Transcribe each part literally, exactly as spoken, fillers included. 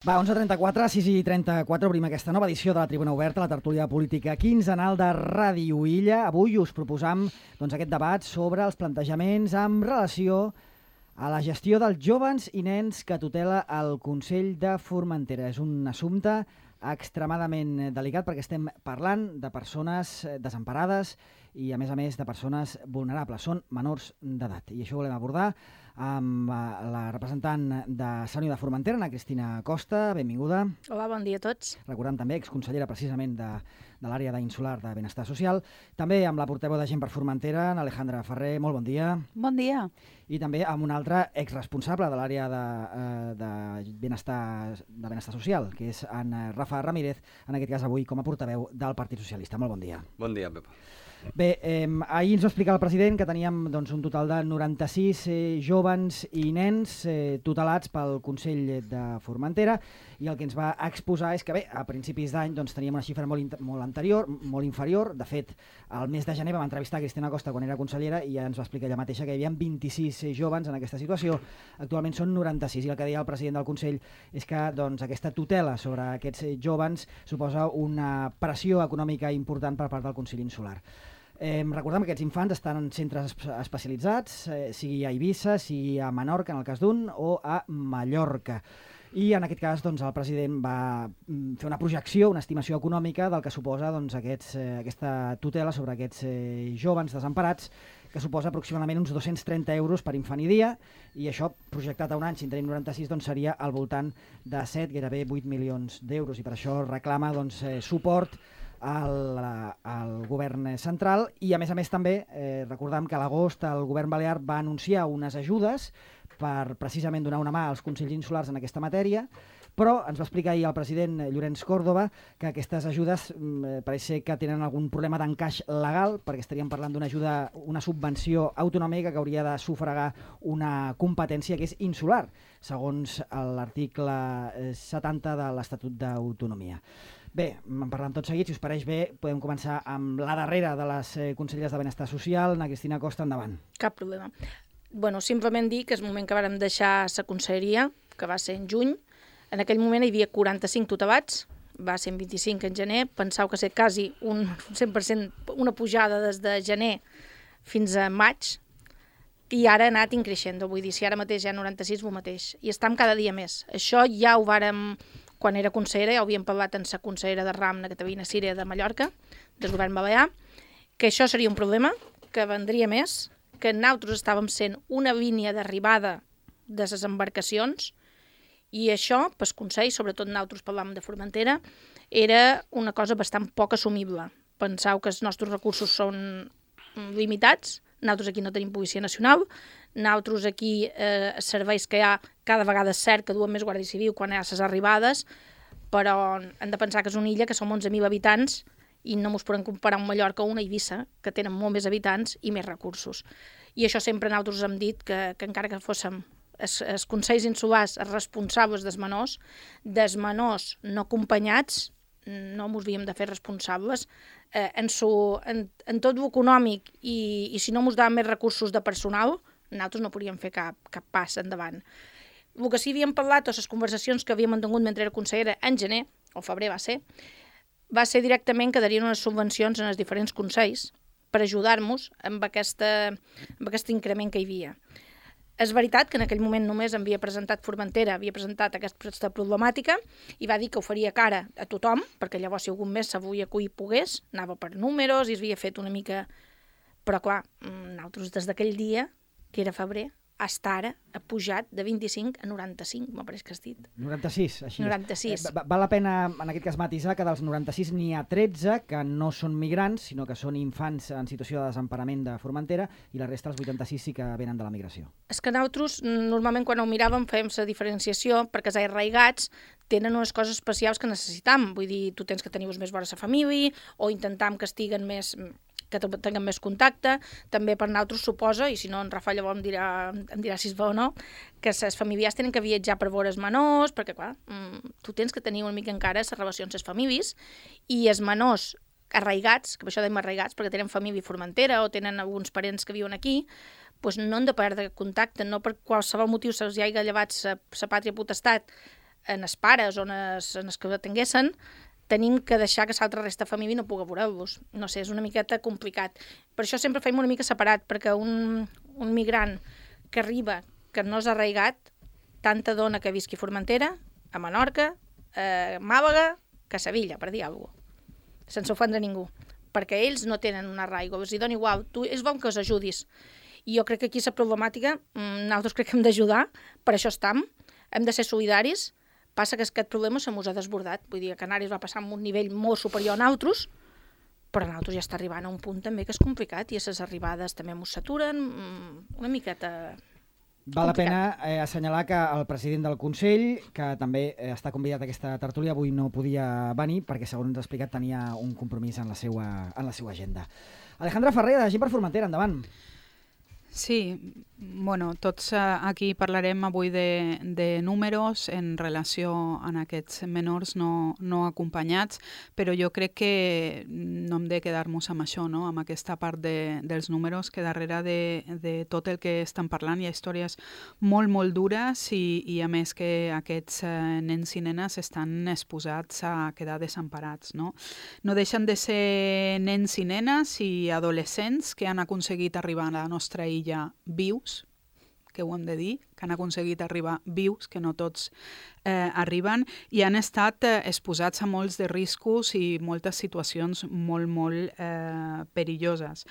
Va, onze trenta-quatre, sis i trenta-quatre, obrim aquesta nova edició de la Tribuna Oberta, la tertúlia política quinzenal de Ràdio Illa. Avui us proposam doncs, aquest debat sobre els plantejaments amb relació a la gestió dels jóvens i nens que tutela el Consell de Formentera. És un assumpte extremadament delicat perquè estem parlant de persones desemparades i, a més a més, de persones vulnerables. Són menors d'edat. I això ho volem abordar amb la representant de Sant Unió de Formentera, Ana Cristina Costa. Benvinguda. Hola, bon dia a tots. Recordem també, exconsellera precisament de, de l'àrea d'insular de Benestar Social. També amb la portaveu de Gent per Formentera, Alejandra Ferrer. Molt bon dia. Bon dia. I també amb un altre exresponsable de l'àrea de, de, benestar, de Benestar Social, que és en Rafa Ramírez, en aquest cas avui com a portaveu del Partit Socialista. Molt bon dia. Bon dia, Pep. Bé, eh, ahir ens va explicar el president que teníem doncs, un total de noranta-sis eh, jóvens i nens eh, tutelats pel Consell de Formentera, i el que ens va exposar és que bé, a principis d'any doncs, teníem una xifra molt, molt anterior, molt inferior. De fet, al mes de gener vam entrevistar Cristina Costa quan era consellera i ja ens va explicar ella mateixa que hi havia vint-i-sis eh, jóvens en aquesta situació. Actualment són noranta-sis, i el que deia el president del Consell és que doncs, aquesta tutela sobre aquests eh, jóvens suposa una pressió econòmica important per part del Consell Insular. Eh, recordem que aquests infants estan en centres especialitzats, eh, sigui a Eivissa, sigui a Menorca, en el cas d'un, o a Mallorca. I en aquest cas doncs, el president va fer una projecció, una estimació econòmica del que suposa doncs, aquests, eh, aquesta tutela sobre aquests eh, jóvens desemparats, que suposa aproximadament uns dos-cents trenta euros per infant i dia, i això projectat a un any, si en tenim noranta-sis, doncs, seria al voltant de set, gairebé vuit milions d'euros, i per això reclama doncs, eh, suport Al, al govern central. I a més a més també eh, recordem que a l'agost el govern balear va anunciar unes ajudes per precisament donar una mà als consells insulars en aquesta matèria, però ens va explicar ahir el president Llorenç Córdoba que aquestes ajudes eh, pareix ser que tenen algun problema d'encaix legal, perquè estaríem parlant d'una ajuda, una subvenció autonòmica que hauria de sufragar una competència que és insular, segons l'article setanta de l'Estatut d'Autonomia. Bé, en parlem tot seguit. Si us pareix bé, podem començar amb la darrera de les eh, conselleres de Benestar Social. Ana Cristina Costa, endavant. Cap problema. Bueno, simplement dir que és el moment que vàrem deixar la conselleria, que va ser en juny. En aquell moment hi havia quaranta-cinc tutelats, va ser en vint-i-cinc en gener. Pensau que ser quasi un cent per cent una pujada des de gener fins a maig, i ara ha anat increixent. Vull dir, si ara mateix hi ha noranta-sis, el mateix. I estem cada dia més. Això ja ho vàrem... Quan era consellera, ja ho havíem parlat amb la consellera de RAM, la Caterina Cira de Mallorca, del govern balear, que això seria un problema, que vendria més, que nosaltres estàvem sent una línia d'arribada de les embarcacions, i això, pel Consell, sobretot nosaltres parlàvem de Formentera, era una cosa bastant poc assumible. Penseu que els nostres recursos són limitats, nosaltres aquí no tenim policia nacional, nosaltres aquí eh, serveis que hi ha cada vegada és cert que duen més Guàrdia Civil quan hi ha les arribades, però hem de pensar que és una illa que som onze mil habitants i no ens podem comparar amb Mallorca o una Eivissa, que tenen molt més habitants i més recursos. I això sempre nosaltres hem dit que, que encara que fóssim els, els consells insulars responsables dels menors, dels menors no acompanyats, no ens havíem de fer responsables eh, en, su, en, en tot l'econòmic, i, i si no ens daven més recursos de personal, nosaltres no podíem fer cap, cap pas endavant. El que sí havíem parlat, o les conversacions que havíem mantingut mentre era consellera en gener, o febrer va ser, va ser directament que darien unes subvencions en els diferents consells per ajudar-nos amb, aquesta, amb aquest increment que hi havia. És veritat que en aquell moment només havia presentat Formentera, havia presentat aquesta problemàtica i va dir que ho faria cara a tothom, perquè llavors si algun mes s'avolia que hi pogués, anava per números i es havia fet una mica... Però clar, nosaltres des d'aquell dia, que era febrer, hasta ara ha pujat de vint-i-cinc a noranta-cinc, m'ha pareix que has dit. noranta-sis, així noranta-sis. Eh, val la pena, en aquest cas, matisar que dels noranta-sis n'hi ha tretze que no són migrants, sinó que són infants en situació de desemparament de Formentera, i la resta, els vuitanta-sis, sí que venen de la migració. És que nosaltres, normalment, quan ho miràvem, fèiem la diferenciació, perquè els arraigats tenen unes coses especials que necessitam. Vull dir, tu tens que tenir més vora la família, o intentam que estiguen més... que tinguem més contacte. També per nosaltres suposa, i si no en Rafa llavors em dirà, em dirà si és bo o no, que les famílies tenen que viatjar per veure els menors, perquè clar, tu tens que tenir una mica encara les relacions amb les famílies, i els menors arraigats, que per això dèiem arraigats, perquè tenen família a Formentera o tenen alguns parents que viuen aquí, doncs no han de perdre contacte, no per qualsevol motiu se'ls hi hagi llevat la pàtria potestat en els pares o en els, en els que atenguessin, tenim que deixar que l'altra resta de família no pugui veure-los. No sé, és una miqueta complicat. Per això sempre feim una mica separat, perquè un, un migrant que arriba, que no és arraigat, tanta dona que visqui a Formentera, a Menorca, a Màlaga, que a Sevilla, per dir alguna cosa, sense ofendre ningú, perquè ells no tenen un arraigo, els hi dona igual, tu, és bon que els ajudis. I jo crec que aquí la problemàtica, nosaltres crec que hem d'ajudar, per això estem, hem de ser solidaris. Passa que aquest problema se mos ha desbordat. Vull dir, a Canàries va passar amb un nivell molt superior a nosaltres, però a nosaltres ja està arribant a un punt també que és complicat i a les arribades també mos saturen una miqueta Val la pena eh, assenyalar que el president del Consell, que també eh, està convidat a aquesta tertúlia, avui no podia venir perquè, segons ens ha explicat, tenia un compromís en la seva, en la seva agenda. Alejandra Ferrer, de Gent per Formentera, endavant. Sí, bueno, tots aquí parlarem avui de, de números en relació a aquests menors no, no acompanyats, però jo crec que no hem de quedar-nos amb això, no? Amb aquesta part de, dels números, que darrere de, de tot el que estan parlant hi ha històries molt, molt dures i, i a més que aquests nens i nenes estan exposats a quedar desemparats, no? No deixen de ser nens i nenes i adolescents que han aconseguit arribar a la nostra illa vius, que ho hem de dir, que han aconseguit arribar vius, que no tots eh, arriben, i han estat eh, exposats a molts de riscos i moltes situacions molt, molt eh, perilloses.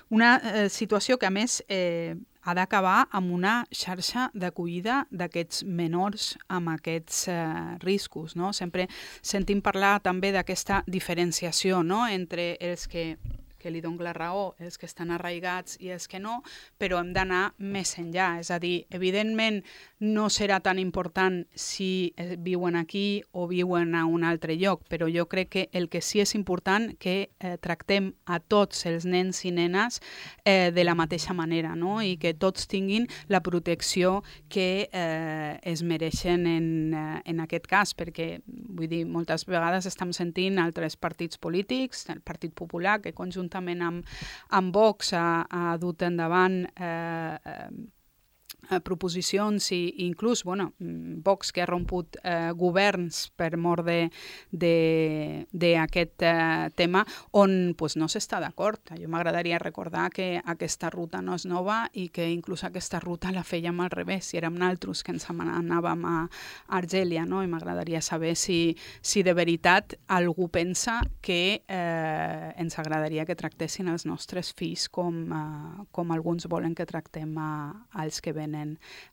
Una eh, situació que, a més, eh, ha d'acabar amb una xarxa d'acollida d'aquests menors amb aquests eh, riscos, no? Sempre sentim parlar també d'aquesta diferenciació, no?, entre els que que li dono la raó, els que estan arraigats i els que no, però hem d'anar més enllà. És a dir, evidentment no serà tan important si viuen aquí o viuen a un altre lloc, però jo crec que el que sí és important que eh, tractem a tots els nens i nenes eh, de la mateixa manera, no? I que tots tinguin la protecció que eh, es mereixen en, eh, en aquest cas, perquè, vull dir, moltes vegades estem sentint altres partits polítics, el Partit Popular, que conjuntament amb, amb Vox ha, ha dut endavant eh, eh, proposicions i, i inclús, bueno, Vox que ha romput eh, governs per mort d'aquest eh, tema on pues, no s'està d'acord. Jo m'agradaria recordar que aquesta ruta no és nova i que inclús aquesta ruta la fèiem al revés, si érem naltros que ens anàvem a Argèlia, no? I m'agradaria saber si, si de veritat algú pensa que eh, ens agradaria que tractessin els nostres fills com, eh, com alguns volen que tractem a, als que venen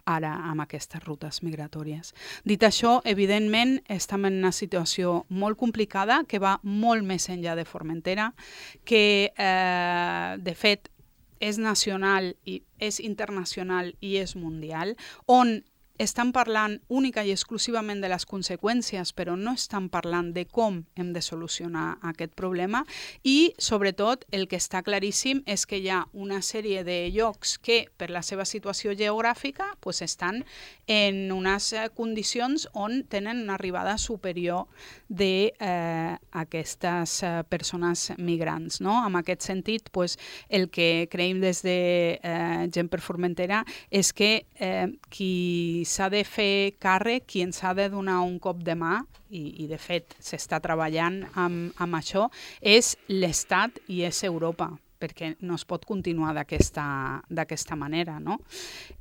ara amb aquestes rutes migratòries. Dit això, evidentment, estem en una situació molt complicada que va molt més enllà de Formentera, que, eh, de fet, és nacional, i és internacional i és mundial, on estan parlant única i exclusivament de les conseqüències, però no estan parlant de com hem de solucionar aquest problema i, sobretot, el que està claríssim és que hi ha una sèrie de llocs que, per la seva situació geogràfica, pues, estan en unes condicions on tenen una arribada superior d'aquestes eh, eh, persones migrants, no? En aquest sentit, pues, el que creiem des de eh, Gent per Formentera és que eh, qui s'ha de fer càrrec, qui ens ha de donar un cop de mà, i, i de fet s'està treballant amb, amb això, és l'Estat i és Europa, perquè no es pot continuar d'aquesta d'aquesta manera, no?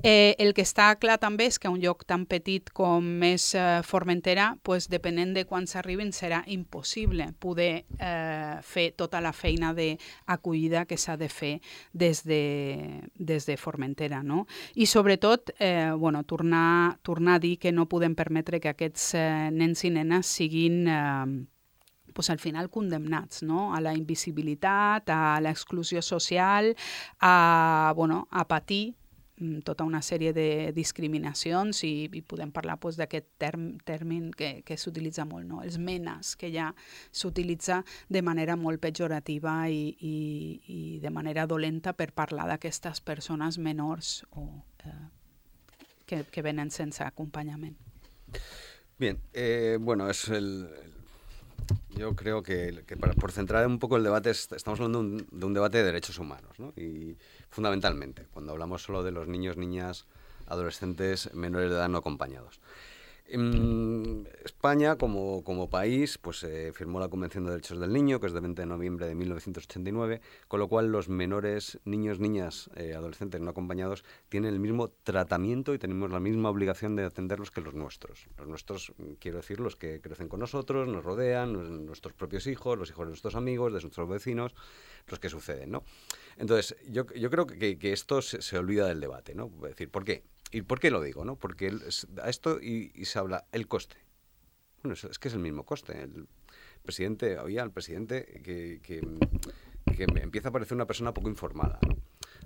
Eh, el que està clar també és que un lloc tan petit com és eh, Formentera, pues, depenent de quan s'arribin, serà impossible poder eh, fer tota la feina d'acollida que s'ha de fer des de, des de Formentera, no? I sobretot, eh, bueno, tornar, tornar a dir que no podem permetre que aquests eh, nens i nenes siguin eh, pues, al final condemnats, no? A la invisibilitat, a l'exclusió social, a, bueno, a patir tota una sèrie de discriminacions i, i podem parlar pues, d'aquest term, termin que, que s'utilitza molt, no? Els menes, que ja s'utilitza de manera molt pejorativa i, i, i de manera dolenta per parlar d'aquestes persones menors o, eh, que, que venen sense acompanyament. Bien, eh, bueno, es el... Yo creo que, que para, por centrar un poco el debate, estamos hablando de un, de un debate de derechos humanos, ¿no? Y fundamentalmente, cuando hablamos solo de los niños, niñas, adolescentes, menores de edad no acompañados. En España, como, como país, pues eh, firmó la Convención de Derechos del Niño, que es de veinte de noviembre de mil novecientos ochenta y nueve, con lo cual los menores, niños, niñas, eh, adolescentes no acompañados, tienen el mismo tratamiento y tenemos la misma obligación de atenderlos que los nuestros. Los nuestros, quiero decir, los que crecen con nosotros, nos rodean, nuestros propios hijos, los hijos de nuestros amigos, de nuestros vecinos, los que suceden, ¿no? Entonces, yo, yo creo que, que esto se, se olvida del debate, ¿no? Es decir, ¿por qué? ¿Y por qué lo digo? ¿No? Porque el, a esto y, y se habla el coste. Bueno, es, es que es el mismo coste. El presidente, oía al presidente que, que, que me empieza a parecer una persona poco informada, ¿no?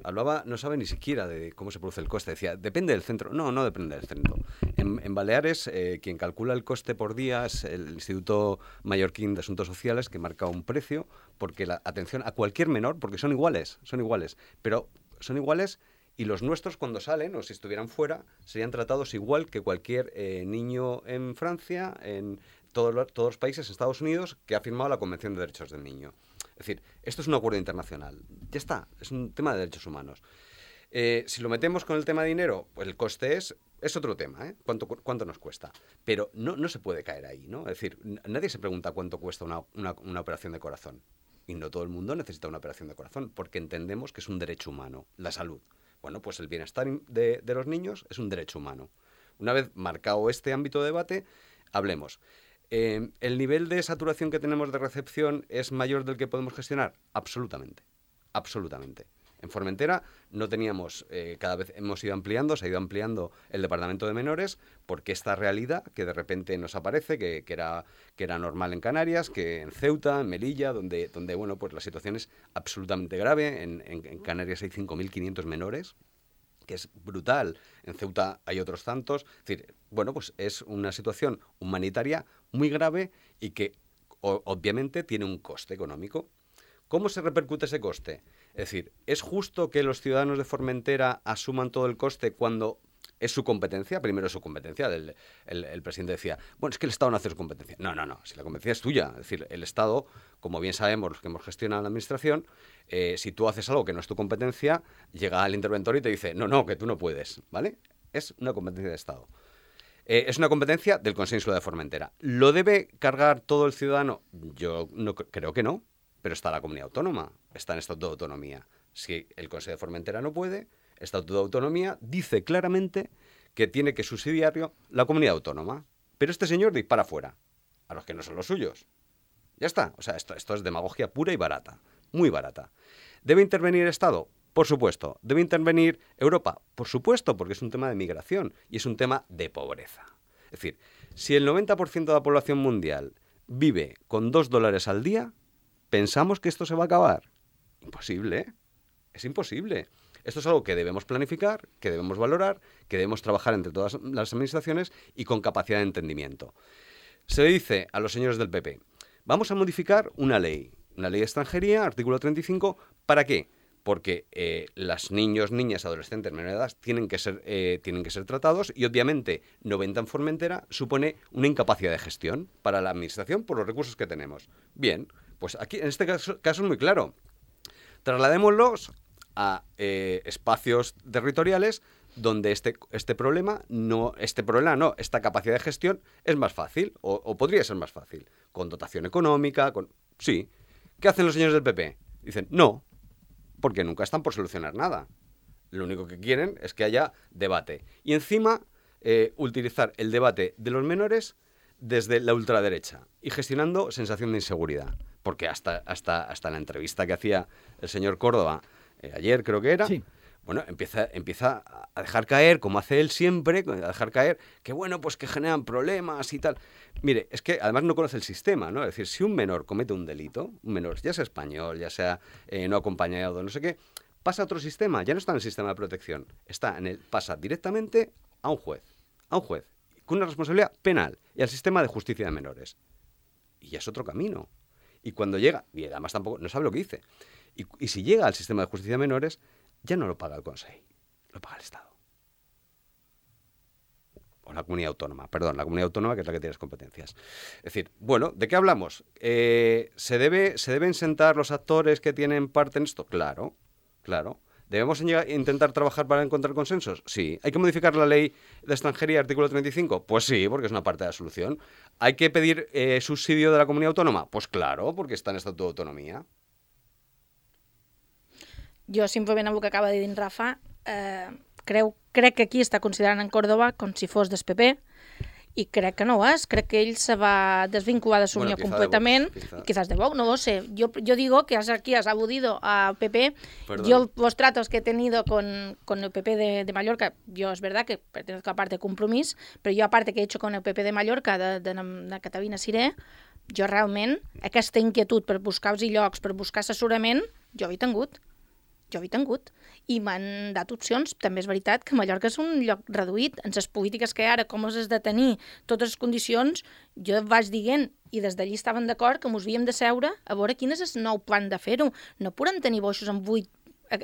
Hablaba, no sabe ni siquiera de cómo se produce el coste. Decía, depende del centro. No, no depende del centro. En, en Baleares, eh, quien calcula el coste por día es el Instituto Mallorquín de Asuntos Sociales, que marca un precio, porque la atención a cualquier menor, porque son iguales, son iguales, pero son iguales. Y los nuestros, cuando salen, o si estuvieran fuera, serían tratados igual que cualquier eh, niño en Francia, en todos los, todos los países, Estados Unidos, que ha firmado la Convención de Derechos del Niño. Es decir, esto es un acuerdo internacional. Ya está, es un tema de derechos humanos. Eh, si lo metemos con el tema de dinero, pues el coste es, es otro tema, ¿eh? ¿Cuánto, cuánto nos cuesta? Pero no, no se puede caer ahí, ¿no? Es decir, nadie se pregunta cuánto cuesta una, una, una operación de corazón. Y no todo el mundo necesita una operación de corazón, porque entendemos que es un derecho humano, la salud. Bueno, pues el bienestar de, de los niños es un derecho humano. Una vez marcado este ámbito de debate, hablemos. Eh, ¿El nivel de saturación que tenemos de recepción es mayor del que podemos gestionar? Absolutamente, absolutamente. En Formentera no teníamos, eh, cada vez hemos ido ampliando, se ha ido ampliando el departamento de menores, porque esta realidad que de repente nos aparece, que, que, era, que era normal en Canarias, que en Ceuta, en Melilla, donde, donde bueno, pues la situación es absolutamente grave. En, en, en Canarias hay cinco mil quinientos menores, que es brutal. En Ceuta hay otros tantos. Es decir, bueno, pues es una situación humanitaria muy grave y que o, obviamente tiene un coste económico. ¿Cómo se repercute ese coste? Es decir, ¿es justo que los ciudadanos de Formentera asuman todo el coste cuando es su competencia? Primero es su competencia. El, el, el presidente decía, bueno, es que el Estado no hace su competencia. No, no, no, si la competencia es tuya. Es decir, el Estado, como bien sabemos los que hemos gestionado la administración, eh, si tú haces algo que no es tu competencia, llega el interventor y te dice, no, no, que tú no puedes, ¿vale? Es una competencia de Estado. Eh, es una competencia del Consejo Insular de Formentera. ¿Lo debe cargar todo el ciudadano? Yo no, creo que no. Pero está la comunidad autónoma, está en estatuto de autonomía. Si el Consejo de Formentera no puede, estatuto de autonomía dice claramente que tiene que subsidiarlo la comunidad autónoma. Pero este señor dispara fuera, a los que no son los suyos. Ya está. O sea, esto, esto es demagogia pura y barata, muy barata. ¿Debe intervenir el Estado? Por supuesto. ¿Debe intervenir Europa? Por supuesto, porque es un tema de migración y es un tema de pobreza. Es decir, si el noventa por ciento de la población mundial vive con dos dólares al día, ¿pensamos que esto se va a acabar? Imposible, ¿eh? Es imposible. Esto es algo que debemos planificar, que debemos valorar, que debemos trabajar entre todas las administraciones y con capacidad de entendimiento. Se le dice a los señores del P P, vamos a modificar una ley, una ley de extranjería, artículo treinta y cinco, ¿para qué? Porque eh, los niños, niñas, adolescentes, menores de edad tienen que ser, eh, tienen que ser tratados y obviamente noventa en Formentera supone una incapacidad de gestión para la administración por los recursos que tenemos. Bien, pues aquí en este caso, caso es muy claro. Trasladémoslos a eh, espacios territoriales donde este, este problema no, este problema no, esta capacidad de gestión es más fácil o, o podría ser más fácil, con dotación económica, con sí. ¿Qué hacen los señores del P P? Dicen no. Porque nunca están por solucionar nada. Lo único que quieren es que haya debate. Y encima, eh, utilizar el debate de los menores desde la ultraderecha y gestionando sensación de inseguridad. Porque hasta, hasta, hasta la entrevista que hacía el señor Córdoba, eh, ayer creo que era, sí. Bueno, empieza, empieza a dejar caer, como hace él siempre, a dejar caer que, bueno, pues que generan problemas y tal. Mire, es que además no conoce el sistema, ¿no? Es decir, si un menor comete un delito, un menor, ya sea español, ya sea eh, no acompañado, no sé qué, pasa a otro sistema, ya no está en el sistema de protección, está en el, pasa directamente a un juez, a un juez, con una responsabilidad penal y al sistema de justicia de menores. Y ya es otro camino. Y cuando llega, y además tampoco, no sabe lo que dice, y, y si llega al sistema de justicia de menores, ya no lo paga el Consejo, lo paga el Estado. O la comunidad autónoma, perdón, la comunidad autónoma que es la que tiene las competencias. Es decir, bueno, ¿de qué hablamos? Eh, ¿se debe, ¿Se deben sentar los actores que tienen parte en esto? Claro, claro. ¿Debemos intentar trabajar para encontrar consensos? Sí. ¿Hay que modificar la ley de extranjería, artículo treinta y cinco? Pues sí, porque es una parte de la solución. ¿Hay que pedir eh, subsidio de la comunidad autónoma? Pues claro, porque está en Estatuto de Autonomía. Jo simplement amb el que acaba de dir en Rafa, eh, creu, crec que aquí està considerant en Córdoba com si fos del P P, i crec que no ho és, crec que ell se va desvincular de Sueño bueno, completament, quizá. quizás de Vox, no lo sé. Yo, yo digo que aquí has aludido a P P. Perdón. Yo los tratos que he tenido con, con el P P de, de Mallorca, yo es verdad que pertenezco a parte de Compromís, pero yo aparte que he hecho con el P P de Mallorca, de, de, de Catalina Siré, jo realment aquesta inquietud per buscar els llocs, per buscar assessorament, jo he tingut. Jo he tingut. I m'han dat opcions. També és veritat que Mallorca és un lloc reduït. En les polítiques que hi ha ara, com has de tenir totes les condicions, jo vaig dient, i des d'allí estaven d'acord que ens havíem de seure a veure quin és el nou plan de fer-ho. No podem tenir boixos amb vuit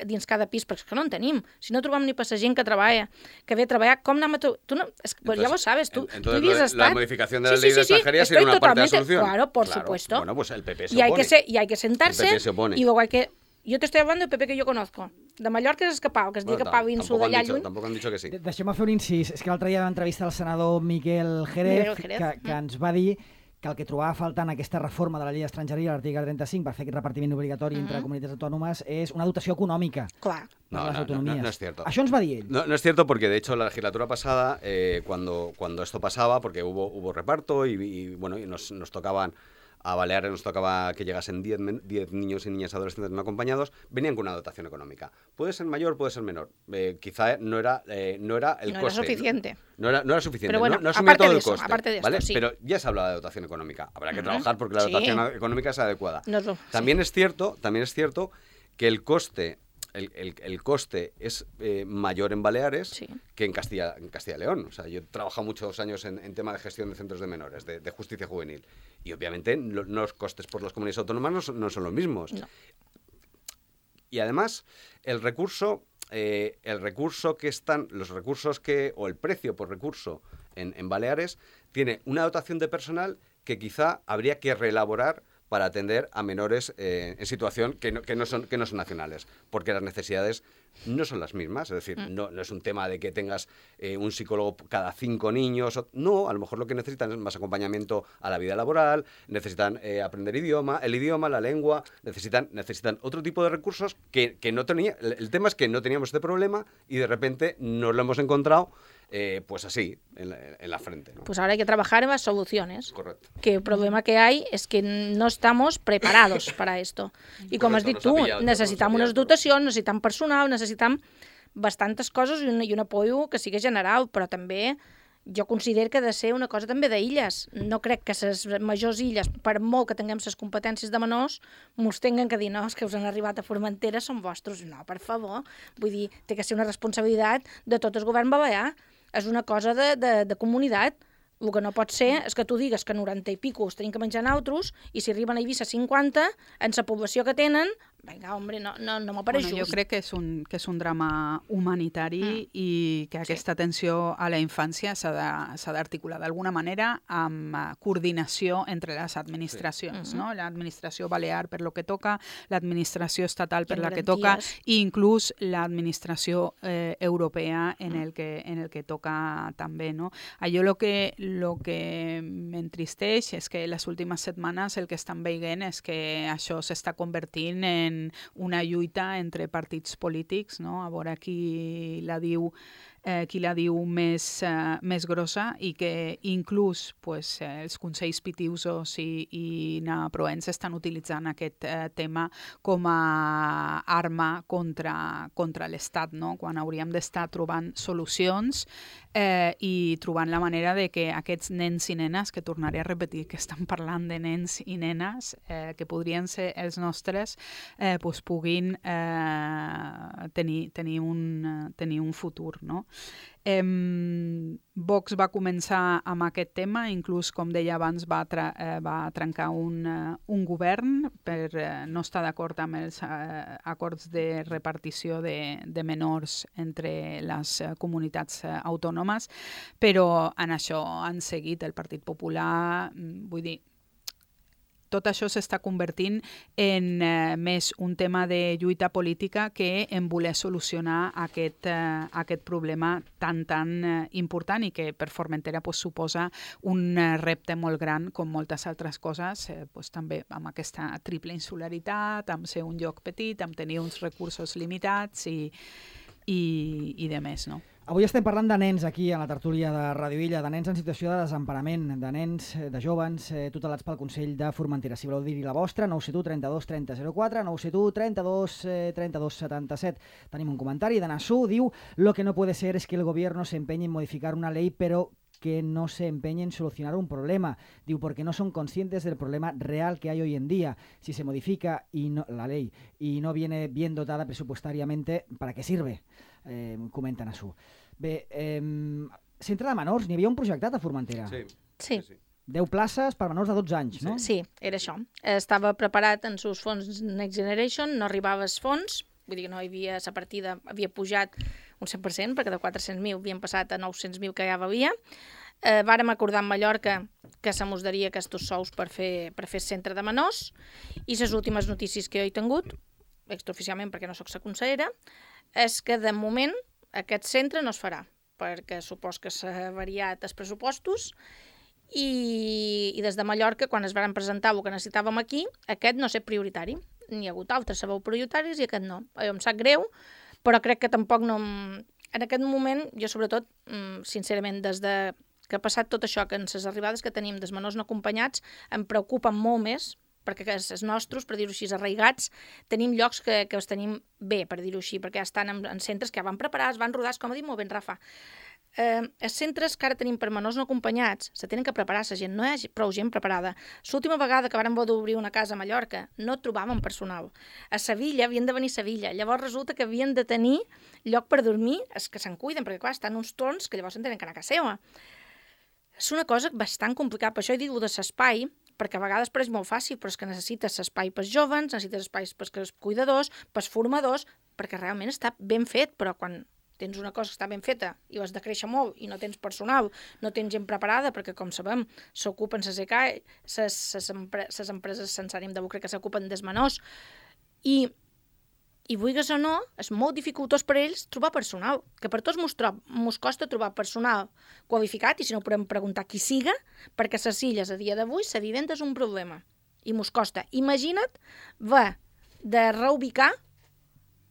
dins cada pis, perquè és que no en tenim. Si no trobem ni passa gent que treballa, que ve a treballar, com anem a... Tu, tu no, es, pues entonces, ya lo sabes, tú, entonces, tú habías estado... La modificación de la sí, ley sí, de sí, extranjería sí, sería una parte de la solución. Claro, por claro. supuesto. Bueno, pues el P P se y hay opone. que se, y hay que sentarse. El P P se opone. Y luego hay que... Yo te estoy hablando del P P que yo conozco. De Mallorca és escapau, que es bueno, diu que Pau Insu d'allà lluny. Tampoc han dit que sí. De Deixem-me fer un incís. És que l'altre dia vam entrevistar el senador Miquel Jerez, Jerez. Que, que ens va dir que el que trobava faltant aquesta reforma de la llei d'estrangeria, l'article trenta-cinc, per fer aquest repartiment obligatori uh-huh. entre comunitats autònomes, és una dotació econòmica. Clar. No, no, las autonomías. no, no, no es cierto. Això ens va dir ell. No, no es cierto porque, de hecho, la legislatura pasada, eh, cuando, cuando esto pasaba, porque hubo, hubo reparto y, y bueno, y nos, nos tocaban... A Baleares nos tocaba que llegasen diez niños y niñas adolescentes no acompañados, venían con una dotación económica. Puede ser mayor, puede ser menor. Eh, quizá no era, eh, no era el no coste. No era suficiente. No, no, era, no era suficiente. Pero bueno, no, no asumía todo de el eso, coste. Aparte de esto, ¿vale? sí. Pero ya se hablaba de dotación económica. Habrá que uh-huh. trabajar porque la dotación sí. económica es adecuada. No, no, también, sí. es cierto, también es cierto que el coste... El, el, el coste es eh, mayor en Baleares sí. que en Castilla, en Castilla y León. O sea, yo he trabajado muchos años en, en tema de gestión de centros de menores, de, de justicia juvenil. Y obviamente lo, los costes por las comunidades autónomas no son, no son los mismos. No. Y además, el recurso, eh, el recurso que están, los recursos que, o el precio por recurso en, en Baleares, tiene una dotación de personal que quizá habría que reelaborar para atender a menores eh, en situación que no, que, no son, que no son nacionales, porque las necesidades no son las mismas, es decir, mm. no, no es un tema de que tengas eh, un psicólogo cada cinco niños, o, no, a lo mejor lo que necesitan es más acompañamiento a la vida laboral, necesitan eh, aprender idioma, el idioma, la lengua, necesitan, necesitan otro tipo de recursos que, que no tenía, el, el tema es que no teníamos este problema y de repente nos lo hemos encontrado Eh, pues así, en la, en la frente, ¿no? Pues ahora hay que trabajar en las soluciones. Correcto. Que el problema que hay es que no estamos preparados para esto. I com has dit tu, necessitam unes dotacions, necessitam personal, necessitam bastantes coses i un, i un apoyo que sigui general, però també jo considero que ha de ser una cosa també d'illes. No crec que les majors illes, per molt que tinguem les competències de menors, mos tinguin que dir, no, és que us han arribat a Formentera, són vostres. No, per favor. Vull dir, té que ser una responsabilitat de tot el govern balear. És una cosa de, de, de comunitat. El que no pot ser és que tu digues que noranta i pico els tenim que menjar nosaltres i si arriben a Eivissa cinquanta, en la població que tenen, vinga, hombre, no, no, no m'apareix bueno, just. Jo crec que és un, que és un drama humanitari mm. i que aquesta sí. atenció a la infància s'ha d'articular d'alguna manera amb coordinació entre les administracions, sí. no? L'administració balear per lo que toca, l'administració estatal per la que toca i inclús l'administració eh, europea en el que, en el que toca també, no? Allò lo que lo que m'entristeix és que les últimes setmanes el que estan veient és que això s'està convertint en una lluita entre partits polítics, no? A veure qui la diu Eh, qui la diu més, eh, més grossa i que inclús pues, eh, els consells pitiusos i, i naproens estan utilitzant aquest eh, tema com a arma contra, contra l'Estat, no? Quan hauríem d'estar trobant solucions eh, i trobant la manera de que aquests nens i nenes, que tornaré a repetir que estan parlant de nens i nenes, eh, que podrien ser els nostres, eh, pues, puguin eh, tenir, tenir, un, tenir un futur, no? Eh, Vox va començar amb aquest tema, inclús, com deia abans, va, tra eh, va trencar un, uh, un govern per uh, no estar d'acord amb els uh, acords de repartició de, de menors entre les uh, comunitats uh, autònomes, però en això han seguit el Partit Popular, vull dir, tot això s'està convertint en eh, més un tema de lluita política que en voler solucionar aquest, eh, aquest problema tan, tan eh, important i que per Formentera pues, suposa un eh, repte molt gran, com moltes altres coses, eh, pues, també amb aquesta triple insularitat, amb ser un lloc petit, amb tenir uns recursos limitats i, i, i de més, no? Avui estem parlant de nens aquí a la tertúlia de Radio Illa, de nens en situació de desemparament, de nens, de jovens eh, tutelats pel Consell de Formentera. Si voleu dir-hi la vostra, nou set u trenta-dos trenta zero quatre, nou set u trenta-dos trenta-dos setanta-set. Tenim un comentari de Nassú, diu: «Lo que no puede ser es que el gobierno se empeñe en modificar una ley, pero que no se empeñe en solucionar un problema. Diu, porque no son conscientes del problema real que hay hoy en día. Si se modifica y no, la ley y no viene bien dotada presupuestariamente, ¿para qué sirve?», eh, comenta Nassú. Bé, eh, centre de menors, n'hi havia un projectat a Formentera. Sí. Sí. sí. deu places per menors de dotze anys, no? Sí, era això. Estava preparat en sus fons Next Generation, no arribava als fons, vull dir que no hi havia, la partida havia pujat un cent per cent, perquè de quatre-cents mil havien passat a nou-cents mil que ja hi havia. Eh, vàrem acordar amb Mallorca que se mos daria aquests sous per fer, per fer centre de menors, i les últimes notícies que jo he tingut, extraoficialment perquè no sóc la consellera, és que de moment aquest centre no es farà, perquè supos que s'ha variat els pressupostos i, i des de Mallorca, quan es van presentar el que necessitàvem aquí, aquest no és prioritari. N'hi ha hagut altres, sabeu, prioritaris, i aquest no. Jo em sap greu, però crec que tampoc no... En aquest moment, jo sobretot, sincerament, des de que ha passat tot això, que en les arribades que tenim dels menors no acompanyats, em preocupen molt més, perquè els nostres, per dir-ho així, arraigats, tenim llocs que, que els tenim bé, per dir-ho així, perquè ja estan en, en centres que ja van preparats, van rodats, com ha dit molt ben Rafa. Eh, els centres que ara tenim per menors no acompanyats se tenen que preparar, la gent, no hi ha prou gent preparada. L'última vegada que vàrem voler obrir una casa a Mallorca no trobàvem personal. A Sevilla havien de venir a Sevilla, llavors resulta que havien de tenir lloc per dormir, els que se'n cuiden, perquè clar, estan uns torns que llavors se'n tenen que anar a casa seva. És una cosa bastant complicada, per això he dit de l'espai, perquè a vegades pareix molt fàcil, però és que necessites espai pels jovens, necessites espais pels cuidadors, pels formadors, perquè realment està ben fet, però quan tens una cosa que està ben feta i has de créixer molt i no tens personal, no tens gent preparada, perquè com sabem s'ocupen les E C A, les empreses sense ànim de lucre que s'ocupen dels menors, i i vulguis o no, és molt dificultós per ells trobar personal, que per tots mos, trob, mos costa trobar personal qualificat, i si no podem preguntar qui siga, perquè les illes a dia d'avui, la vivenda és un problema, i mos costa. Imagina't va de reubicar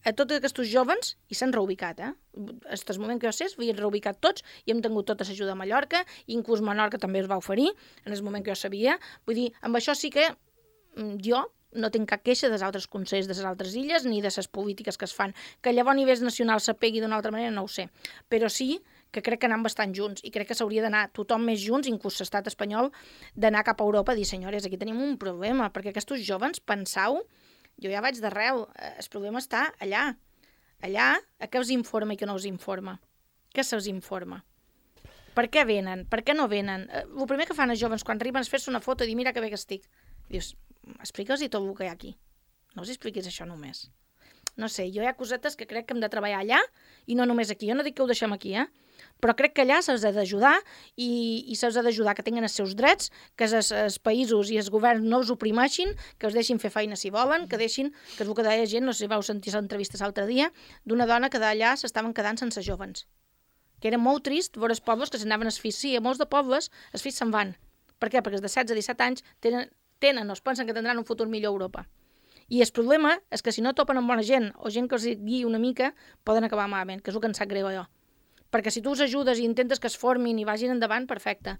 a tots aquests jovens, i s'han reubicat, eh? Fins el moment que jo sé, s'havien reubicat tots, i hem tingut tota l'ajuda a Mallorca, i inclús Menorca també es va oferir, en el moment que jo sabia. Vull dir, amb això sí que jo no tinc cap queixa dels altres consells de les altres illes ni de les polítiques que es fan. Que llavors a nivell nacional s'apegui d'una altra manera, no ho sé. Però sí que crec que anem bastant junts i crec que s'hauria d'anar tothom més junts, inclús l'estat espanyol, d'anar cap a Europa i dir, senyores, aquí tenim un problema, perquè aquests jovens, pensau, jo ja vaig d'arreu, el problema està allà. Allà, a què us informa i què no us informa? Què se'ls informa? Per què venen? Per què no venen? El primer que fan els jovens quan arriben és fer-se una foto i dir, mira que bé que estic. Dius, explica'ls-hi tot el que hi ha aquí. No us expliquis això només. No sé, jo hi ha cosetes que crec que hem de treballar allà i no només aquí. Jo no dic que ho deixem aquí, eh? Però crec que allà se'ls ha d'ajudar i, i se'ls ha d'ajudar que tinguin els seus drets, que els, els països i els governs no els oprimeixin, que els deixin fer feina si volen, que deixin, que és el que deia gent, no sé si vau sentir l'entrevista l'altre dia, d'una dona que d'allà s'estaven quedant sense jovens. Que era molt trist veure els pobles que s'anaven als fills. Sí, a molts de pobles els fills se'n van. Per què? Perquè els de setze a disset anys tenen, tenen o es pensen que tindran un futur millor a Europa. I el problema és que si no topen amb bona gent o gent que els guiï una mica, poden acabar malament, que és el que em sap greu allò. Perquè si tu els ajudes i intentes que es formin i vagin endavant, perfecte.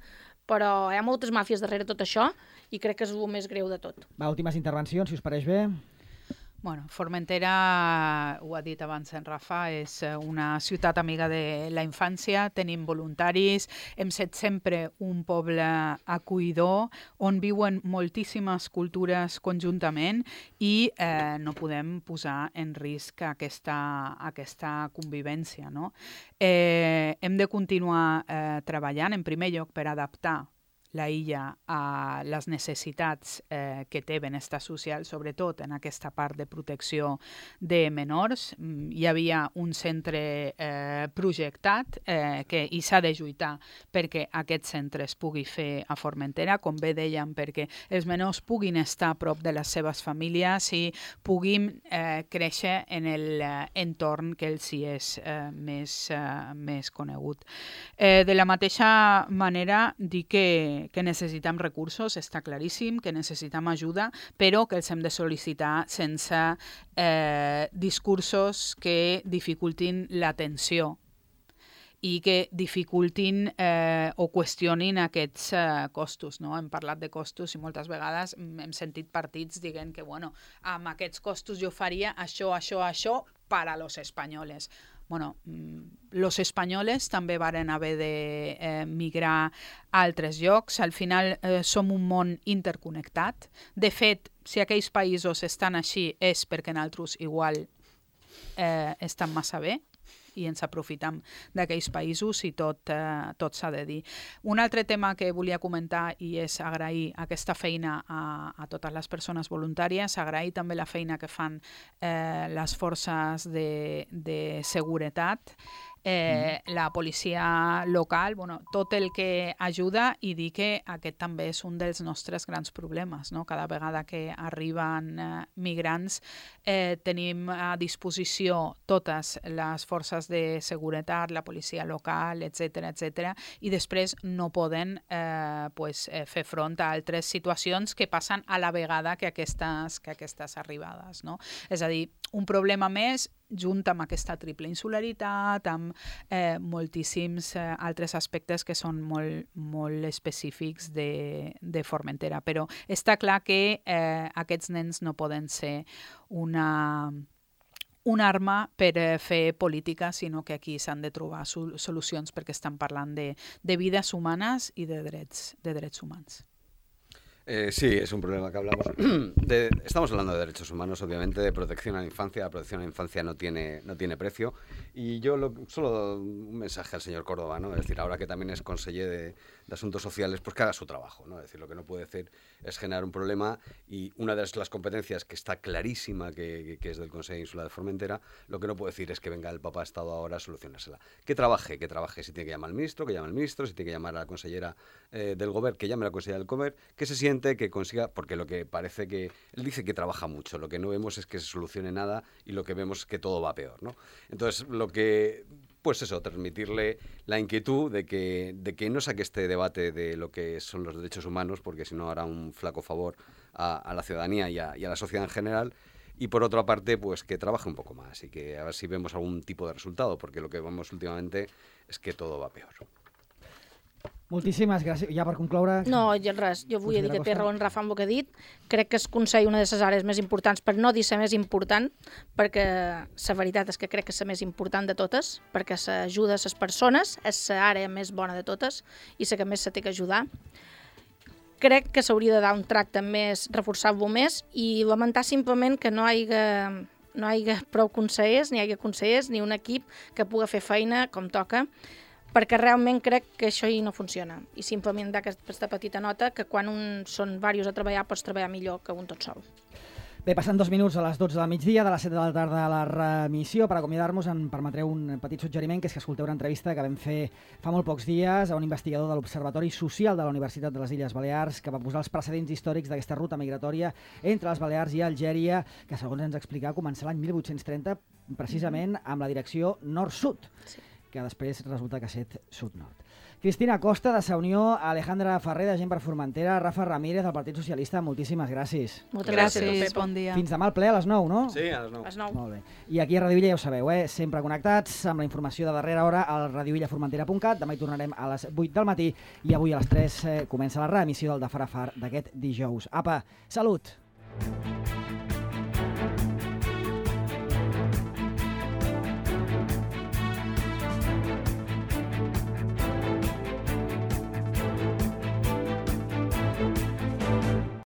Però hi ha moltes màfies darrere tot això i crec que és el més greu de tot. Va, últimes intervencions, si us pareix bé. Bueno, Formentera, ho ha dit abans en Rafa, és una ciutat amiga de la infància, tenim voluntaris, hem set sempre un poble acollidor on viuen moltíssimes cultures conjuntament i eh, no podem posar en risc aquesta, aquesta convivència, no? Eh, hem de continuar eh, treballant, en primer lloc, per adaptar la illa a les necessitats eh, que té benestar social, sobretot en aquesta part de protecció de menors. Hi havia un centre eh, projectat eh, que i s'ha de lluitar perquè aquest centre es pugui fer a Formentera, com bé dèiem, perquè els menors puguin estar a prop de les seves famílies i puguin eh, créixer en l'entorn que els hi és eh, més, eh, més conegut. Eh, de la mateixa manera, dir que que necessitem recursos, està claríssim, que necessitem ajuda, però que els hem de sol·licitar sense eh, discursos que dificultin l'atenció i que dificultin eh, o qüestionin aquests eh, costos. No? Hem parlat de costos i moltes vegades hem sentit partits dient que bueno, amb aquests costos jo faria això, això, això per a los espanyoles. Bueno, los espanyoles també varen haver de eh, migrar a altres llocs. Al final eh, som un món interconnectat. De fet, si aquells països estan així és perquè nosaltres igual eh, estan massa bé i ens aprofitem d'aquells països i tot, eh, tot s'ha de dir. Un altre tema que volia comentar i és agrair aquesta feina a, a totes les persones voluntàries, agrair també la feina que fan eh, les forces de, de seguretat, eh, mm. la policia local, bueno, tot el que ajuda i dir que aquest també és un dels nostres grans problemes. No? Cada vegada que arriben eh, migrants eh, tenim a disposició totes les forces de seguretat, la policia local, etcètera, etcètera, i després no poden eh, pues, eh, fer front a altres situacions que passen a la vegada que aquestes, que aquestes arribades. No? És a dir, un problema més junt amb aquesta triple insularitat, amb eh, moltíssims eh, altres aspectes que són molt, molt específics de, de Formentera. Però està clar que eh, aquests nens no poden ser una... una arma per fer política, sinó que aquí s'han de trobar sol- solucions perquè estan parlant de, de vides humanes i de drets, de drets humans. Eh, sí, es un problema que hablamos. De, estamos hablando de derechos humanos, obviamente, de protección a la infancia. La protección a la infancia no tiene, no tiene precio. Y yo lo, solo un mensaje al señor Córdoba, ¿no? Es decir, ahora que también es conseller de, de Asuntos Sociales, pues que haga su trabajo, ¿no? Es decir, lo que no puede hacer es generar un problema y una de las competencias que está clarísima que, que es del Consejo Insular de Formentera, lo que no puede decir es que venga el Papa Estado ahora a solucionársela. Que trabaje, que trabaje. Si tiene que llamar al ministro, que llame al ministro. Si tiene que llamar a la consellera eh, del Gobierno, que llame a la consellera del Gobierno, que se siente que consiga, porque lo que parece que él dice que trabaja mucho, lo que no vemos es que se solucione nada y lo que vemos es que todo va peor, ¿no? Entonces, lo que, pues eso, transmitirle la inquietud de que, de que no saque este debate de lo que son los derechos humanos, porque si no hará un flaco favor a, a la ciudadanía y a, y a la sociedad en general. Y por otra parte, pues que trabaje un poco más y que a ver si vemos algún tipo de resultado, porque lo que vemos últimamente es que todo va peor. Moltíssimes gràcies. Ja per concloure... No, res, jo vull dir que té raó en Rafa amb el que ha dit. Crec que es Consell una de les àrees més importants, per no dir la més important, perquè la veritat és que crec que és la més important de totes, perquè s'ajuda a les persones, és l'àrea més bona de totes i la que més se té que ajudar. Crec que s'hauria de dar un tracte més, reforçar-lo més i lamentar simplement que no hi hagi, no hi hagi prou consellers, ni hi hagi consellers, ni un equip que pugui fer feina com toca, perquè realment crec que això hi no funciona. I simplement d'aquesta petita nota que quan un són diversos a treballar pots treballar millor que un tot sol. Bé, passant dos minuts a les dotze del migdia, de les set de la tarda a la remissió. Per acomiadar-nos em permetreu un petit suggeriment, que és que escolteu una entrevista que vam fer fa molt pocs dies a un investigador de l'Observatori Social de la Universitat de les Illes Balears, que va posar els precedents històrics d'aquesta ruta migratòria entre les Balears i Algèria, que segons ens explicava començar l'any mil vuit-cents trenta precisament amb la direcció nord-sud. Sí. Que després resulta que ha set sud-nord. Cristina Costa, de Sa Unió, Alejandra Ferrer, de Gent per Formentera, Rafa Ramírez, del Partit Socialista, moltíssimes gràcies. Moltes gràcies, gràcies bon dia. Fins demà al ple a les nou, no? Sí, a les nou. A les nou. Molt bé. I aquí a Radio Illa ja ho sabeu, eh? Sempre connectats amb la informació de darrera hora al radio illa formentera punt cat. Demà hi tornarem a les vuit del matí i avui a les tres eh, comença la reemissió del de Far a Far d'aquest dijous. Apa, salut!